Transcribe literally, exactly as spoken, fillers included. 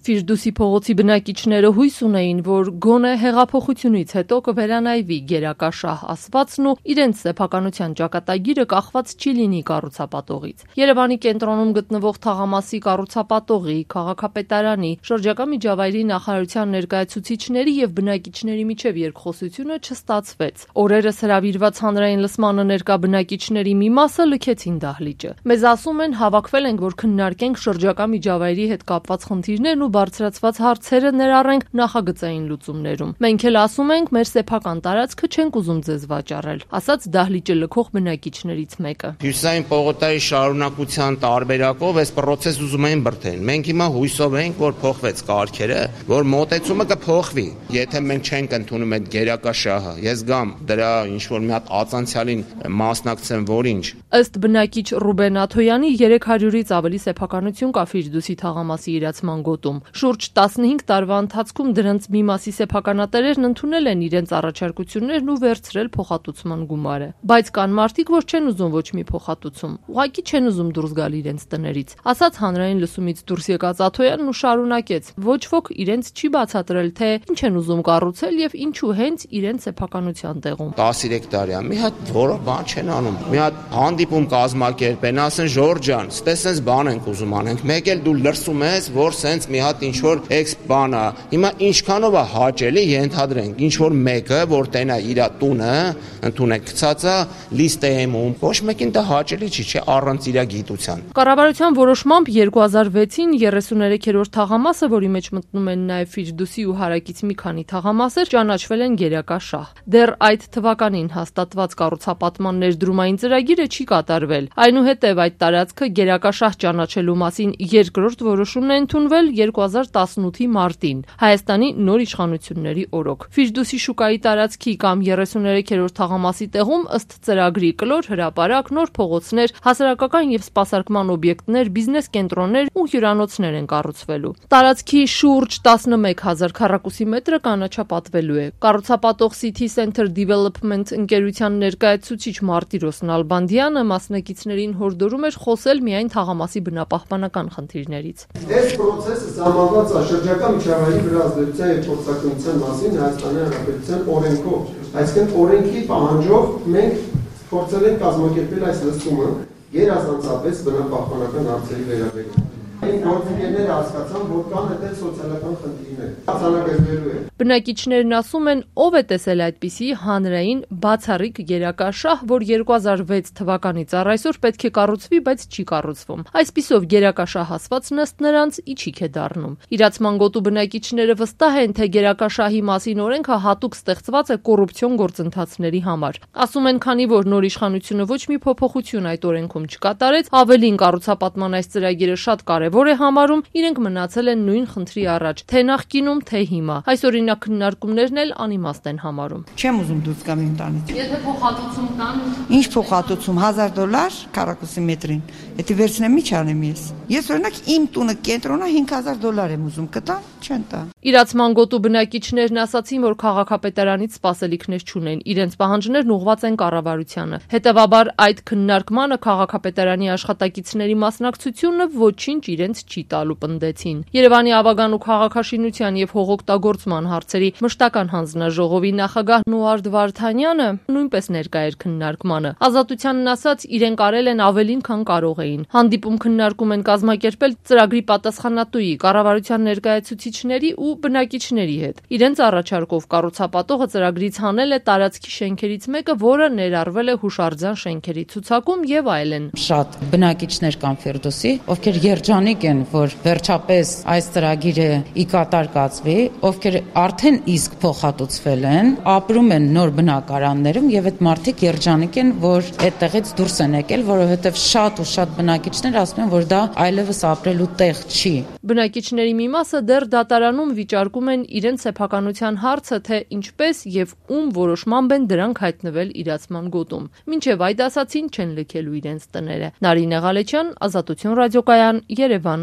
Ֆիրդուսի փողոցի բնակիչները հույս ունեին, որ գոնե հեղափոխությունից հետո կվերանայվի գերակա շահ ասվածն ու իրենց սեփականության ճակատագիրը կախված չի լինի կառուցապատողից։ Երևանի կենտրոնում գտնվող թաղամասի կառուցապատողի, քաղաքապետարանի, շրջակա միջավայրի նախարարության ներկայացուցիչների եւ բնակիչների միջև երկխոսությունը չստացվեց։ Օրերս հրավիրված հանրային լսմանը ներկա բնակիչների մի մասը լքեցին դահլիճը։ Մեզ ասում են հավաքվել ենք, որ քննարկենք շրջակա միջավայրի հետ կապված խնդիրներն ու բարձրացված հարցերը ներառենք նախագծային լուծումներում։ Մենք էլ ասում ենք, մեր սեփական տարածքը չենք ուզում ձեզ վաճառել, ասաց դահլիճը լքող բնակիչներից մեկը։ Հյուսային պողոտայի շարունակության տարբերակով այս process ուզում են բրդեն։ Մենք հիմա հույսով ենք, որ փոխվեց կարգերը, որ մոտեցումը կփոխվի։ Եթե մենք չենք ընդունում այդ գերակա շահը, ես գամ դրա ինչ որ մի հատ ածանցյալին մասնակցեմ, որ ինչ։ Ըստ բնակիչ Ռուբեն Աթոյանի երեք հարյուրից ավելի սեփականություն կա Ֆիրդուսի թաղամասի իրացման գոտում։ Շուրջ տասնհինգ տարվա ընթացքում դրանց մի մասի սեփականատերերն ընդունել են իրենց առաջարկություններն ու վերցրել փոխհատուցման գումարը։ Բայց կան մարդիկ, որ չեն ուզում ոչ մի փոխհատուցում, ուղղակի չեն ուզում դուրս գալ իրենց տներից, ասաց հանրային լսումից դուրս եկած Աթոյանն ու շարունակեց. ոչ ոք իրենց չի բացատրել, թե ինչ են ուզում կառուցել եւ ինչու հենց իրենց սեփականության տեղում։ տասներեք տարի է, մի հատ որը բան չեն անում։ Մի հատ հանդիպում կազմակերպեն, ասեն Ժորժ ջան, ստեսենց բան ենք ուզում անենք։ Մեկ էլ դու լրսում ես, որ սենց մի հատ ինչ որ էքս բան է։ Հիմա ինչքանով է հաճելի ենթադրենք, ինչ որ մեկը, որ տենա իր տունը, ընդունեք գցած է լիստեում, ոչ մեկին դա հաճելի չի, չէ, առանց իր գիտության։ Կառավարության որոշմամբ երկու հազար վեցին երեսուներեքերորդ թաղամասը, որի մեջ մտնում են նաև Ֆիրդուսի ու հարակից մի քանի թաղամասեր, ճանաչվել են գերակա շահ։ Դեռ այդ թվականին հաստատված կառուցապատման ներդրումային ծրագիրը չի կատարվել։ Այնուհետև այդ տարածքը գերակա շահ ճանաչելու մասին երկրորդ որոշումն է ընդունվել երկու հազար տասնութի մարտին, Հայաստանի նոր իշխանությունների օրոք։ Ֆիրդուսի շուկայի տարածքի կամ երեսուներեքերորդ թաղամասի տեղում ըստ ծրագրի կլոր հրապարակ, նոր փողոցներ, հասարակական եւ սպասարկման օբյեկտներ, բիզնես կենտրոններ ու հյուրանոցներ են կառուցվելու։ Տարածքի շուրջ տասնմեկ հազար քառակուսի մետրը կանաչապատվելու է։ Կառուցապատող City Center Development ընկերության ներկայացուցիչ Մարտիրոս Նալբանդյանը մասնակիցներին հորդորում էր խոսել միայն թաղամասի բնապահպանական խնդիրներից։ Այս process-ը սահմանված է շրջակա միջավայրի վրա ազդեցության եւ փորձակնության մասին Հայաստանի Հանրապետության օրենքով։ Այսինքն օրենքի պահանջով մենք փորձել ենք կազմակերպել այս լսումը գերազանցապես բնապահպանական հարցերի վերաբերյալ։ Այն գործընկերները հասկացան, որ կան այդտեղ սոցիալական խնդիրներ։ Արձանագրվելու է։ Բնակիչներն ասում են, ով է տեսել այդպիսի հանրային բացառիկ գերակա շահ, որ երկու հազար վեց թվականից առ այսօր պետք է կառուցվի, բայց չի կառուցվում։ Այսպիսով գերակա շահ ասվածն ըստ նրանց իջիկ է դառնում։ Իրացման գոտու բնակիչները վստահ են, թե գերակա շահի մասին օրենքը հատուկ ստեղծված է կոռուպցիոն գործընթացների համար։ Ասում են, քանի որ նոր իշխանությունը ոչ մի փոփոխություն այդ օրենքում չկատարեց, ավելին կառուցապատման այս ծրագիրը շատ կարևոր է համարում, իրենք մնացել են նույն խնդրի առաջ, թե նախկինում, թե հիմա։ Այս օրինակ քննարկումներն էլ անիմաստ են համարում։ Չեմ ուզում դուրս գամ իմ տանից։ Եթե փոխհատուցում տան, ինչ փոխհատուցում, հազար դոլար քառակուսի մետրին։ Եթե վերցնեմ, ի՞նչ անեմ ես։ Ես օրինակ իմ տունը կենտրոնը հինգ հազար դոլար եմ ուզում, կտա, չեն տա։ Իրացման գոտու բնակիչներն ասացին, որ քաղաքապետարանից սպասելիքներ չունեն, իրենց պահանջներն ուղղված են կառավարությանը։ Հետևաբար այդ քննարկմանը քաղաքապետարանի աշխատակիցների մասնակցությունը ոչինչ իրենց չի տալու պնդեցին։ Երևանի ավագան ու քաղաքաշինության եւ հողօգտագործման հարցերի մշտական հանձնաժողովի նախագահ Նուարդ Վարդանյանը նույնպես ներկա էր քննարկմանը։ Ազատությանն ասաց, իրենք արել են ավելին, քան կարող էին։ Հանդիպում քննարկում են կազմակերպել ծրագրի պատասխանատուի, կառավարության ներկայացուցիչների ու բնակիչների հետ։ Իրենց առաջարկով կառուցապատողը ծրագրից հանել է տարածքի շենքերից մեկը, որը ներառվել է հուշարձան շենքերի ցուցակում եւ այլն։ Շատ բնակիչներ կան Ֆիրդուսի, ովքեր երջանիկ են, որ վերջապես այս ծրագիրը ի կատար կացվի, ովքեր արդեն իսկ փոխհատուցվել են, ապրում են նոր բնակարաններում եւ այդ մարդիկ երջանիկ են, որ այդտեղից դուրս են եկել, որովհետեւ շատ ու շատ բնակիչներ ասում են, որ դա այլևս ապրելու տեղ չի։ Բնակիչների մի մասը դեռ դատարանում վիճարկում են իրենց սեփականության հարցը, թե ինչպես եւ ում որոշմամբ են դրանք հայտնվել իրացման գոտում։ Մինչեւ այդ ասացին չեն լքելու իրենց տները։ Նարինե Ղալեչյան, Ազատություն ռադիոկայան, Երևան։